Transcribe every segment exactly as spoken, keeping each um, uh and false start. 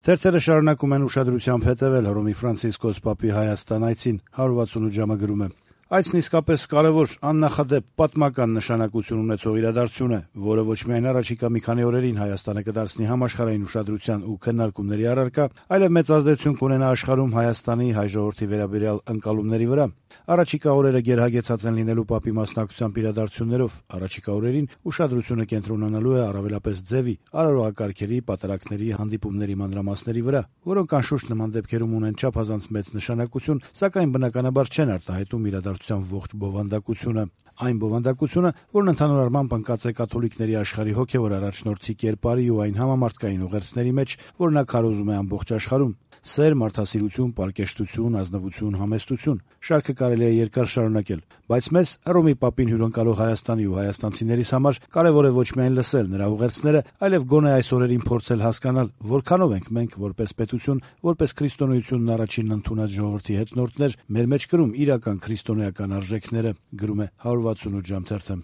Թերթերը շարունակում են ուշադրությամբ հետևել Հռոմի Ֆրանցիսկոս Պապի Հայաստան այցին։ հարյուր վաթսունութ ժամը գրում է. Այցն իսկապես կարևոր, աննախադեպ պատմական նշանակություն ունեցող իրադարձություն է, որը ոչ միայն առաջիկա մի քանի օրերին Հայաստանը կդարձնի համաշխարհային ուշադրության ու քննարկումների առարկա, այլև մեծ ազդեցություն կունենա աշխարհում Հայաստանի հայ ժողովրդի վերաբերյալ ընկալումների վրա։ Առաջիկա օրերը գերհագեցած են լինելու Պապի մասնակցությամբ իրադարձություններով։ Առաջիկա օրերին ուշադրությունը կենտրոնանալու է առավելապես ձևի, արարողակարգերի, պատարակների, հանդիպումների մանրամասների վրա, որոնք անշուշտ նման դեպքերում ունեն չափազանց մեծ նշանակություն, սակայն բնականաբար չեն արտահայտում իրադարձության ողջ բովանդակությունը։ Այն բովանդակությունը, որն ընդհանուր առմամբ ընկած է կաթոլիկների աշխարհի հոգևոր առաջնորդի կերպարի ու այն համամարտկային ուղերձների մեջ, որ նա քարոզում է ամբողջ աշխարհում։ Սեր, մարդասիրություն, պարկեշտություն, ազնվություն, համեստություն։ Շարքը կարելի է երկար շարունակել, բայց մեզ Հռոմի Պապին հյուրընկալող Հայաստանի ու հայաստանցիներիս համար կարևոր է ոչ միայն լսել նրա ուղերձները, այլև գոնե այս օրերին փորձել հասկանալ, որքանով ենք մենք որպես պետություն, որպես քրիստոնեությունն առաջինն ընդունած ժողովրդի հետնորդներ, մեր մեջ կրում իրական քրիստոնեական արժեքները, գրում է հարյուր վաթսունութ ժամ թերթը։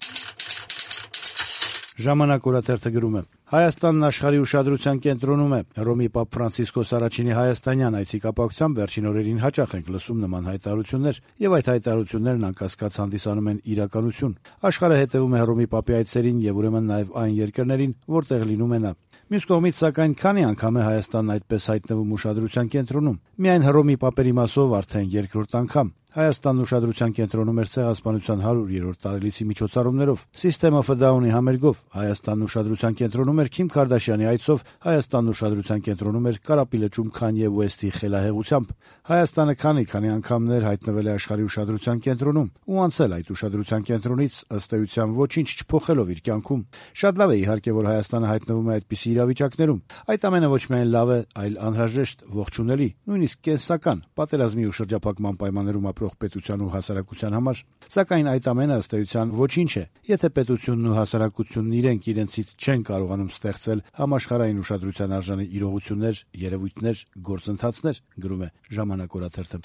Ժամանակ օրաթերթը գրում է. Հայաստանն աշխարհի ուշադրության կենտրոնում է։ Հռոմի Պապ Ֆրանցիսկոս առաջինի հայաստանյան այցի կապակցությամբ վերջին օրերին հաճախ ենք լսում նման հայտարարություններ, եւ այդ հայտարարություններն անկասկած հանդիսանում են իրականություն։ Աշխարհը հետևում է Հռոմի Պապի այցերին եւ ուրեմն նաեւ այն երկրներին, որտեղ լինում է նա։ Մյուս կողմից, սակայն, քանի անգամ է Հայաստանն այդպես հայտնվում ուշադրության կենտրոնում։ Միայն Հռոմի Պապերի մասով արդեն երկրորդ անգամ։ Հայաստանն ուշադրության կենտրոնում էր Ցեղասպանության հարյուրերորդ տարելիցի միջոցառումներով, System of a Down-ի համերգով, Հայաստանն ուշադրության կենտրոնում էր Քիմ Քարդաշյանի այցով, Հայաստանն ուշադրության կենտրոնում էր Կարապի լճում Քանյե Ուեսթի խելահեղությամբ։ Հայաստանը քանի-քանի անգամներ հայտնվել է աշխարհի ուշադրության կենտրոնում ու անցել այդ ուշադրության կենտրոնից ըստ էության ոչինչ չփոխելով իր կյանքում։ Շատ լավ է իհարկե, որ Հայաստանը հայտնվում է այդպիսի իրավիճակներում։ Այդ ամենը ոչ միայն լավ է, այլ անհրաժեշտ, ողջունելի, նույնիսկ կենսական, պատերազմի ու շրջափակման պայմաններում ապրող պետության ու հասարակության համար, սակայն այդ ամենը ըստ էության ոչինչ է, եթե պետությունն ու հասարակությունն իրենք իրենցից չեն կարողանում ստեղծել համաշխարհային ուշադրության արժանի իրողություններ, երևույթներ, գործընթացներ, գրում է Ժամանակ օրաթերթը։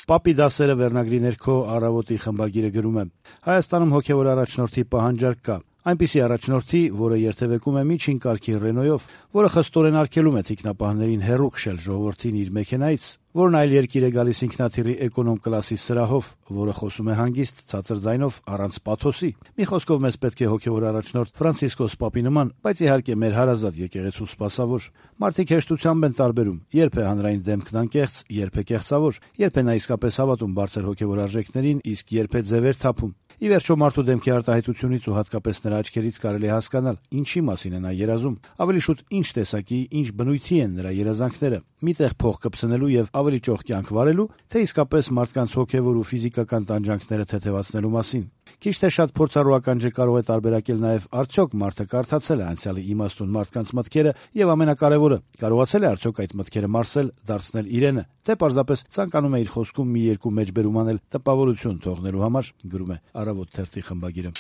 Պապի դասերը վերնագրի ներքո Առավոտի խմբագիրը գրում է. Հայաստանում հոգևոր առաջնորդի պահանջարկ կա։ Այնպիսի առաջնորդի, որը երթևեկում է միջին կարգի Ռենոյով, որը խստորեն արգելում է թիկնապահներին հեռու քշել ժողովրդին իր մեքենայից, որն այլ երկիր է գալիս ինքնաթիռի էկոնոմ կլասի սրահով, որը խոսում է հանգիստ, ցածր ձայնով, առանց պաթոսի։ Մի խոսքով, մեզ պետք է հոգևոր առաջնորդ Ֆրանցիսկոս Պապի նման, բայց իհարկե մեր հարազատ եկեղեցու սպասավոր։ Մարդիկ հեշտությամբ են տարբերում, երբ է հանրային դեմքն անկեղծ, երբ է կեղծավոր, երբ է նա իսկապես հավատում բարձր հոգևոր արժեքներին, իսկ երբ է ձևեր թափում։ Ի վերջո, մարդու դեմքի արտահայտությունից ու հատկապես նրա աչքերից կարելի է հասկանալ ինչի մասին է նա երազում, ավելի շուտ ինչ տեսակի, ինչ բնույթի են նրա երազանքները՝ միտեղ փող կպցնելու եւ ավելի ճոխ կյանք վարելու, թե իսկապես մարդկանց հոգեվոր ու ֆիզիկական տանջանքները թեթևացնելու մասին։ Քիչ թե շատ փորձառու ականջը կարող է տարբերակել նաեւ արդյոք մարդը կարդացել է անցյալի իմաստուն մարդկանց մտքերը եւ ամենակարևորը, կարողացել է արդյոք այդ մտքերը մարսել, դարձնել իրենը, թե պարզապես ցանկանում է իր խոսքում մի երկու մեջբերում անել տպավորություն թողնելու համար, գրում է Առավոտ թերթի խմբագիրը։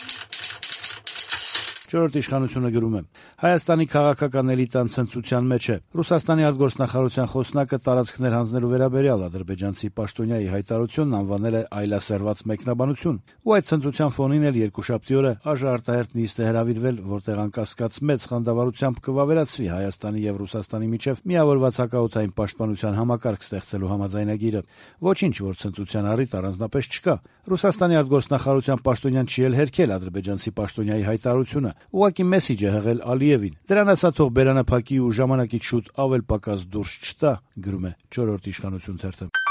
Չորրորդ իշխանությունը գրում է. Հայաստանի քաղաքական էլիտան ցնծության մեջ է։ Ռուսաստանի արտգործնախարարության խոսնակը տարածքներ հանձնելու վերաբերյալ ադրբեջանցի պաշտոնյայի հայտարարությունն անվանել է այլասերված մեկնաբանություն, ու այդ ցնծության ֆոնին էլ երկուշաբթի օրը ԱԺ արտահերթ նիստ է հրավիրվել, որտեղ անկասկած մեծ խանդավառությամբ կվավերացվի Հայաստանի եւ Ռուսաստանի միջև միավորված հակաօդային պաշտպանության համակարգ ստեղծելու համաձայնագիրը։ Ոչինչ, որ ցնծության առիթ առանձնապես չկա։ Ռուսաստանի արտգործնախարարության պաշտոնյան չի էլ հերքել ադրբեջանցի պաշտոնյայի հայտարարությունը, ուղղակի մեսիջ է հղել Ալիևին։ Դրան ասա թող բերանափակի ու ժամանակից շուտ ավել պակաս դուրս չտա, գրում է Չորրորդ իշխանություն թերթը։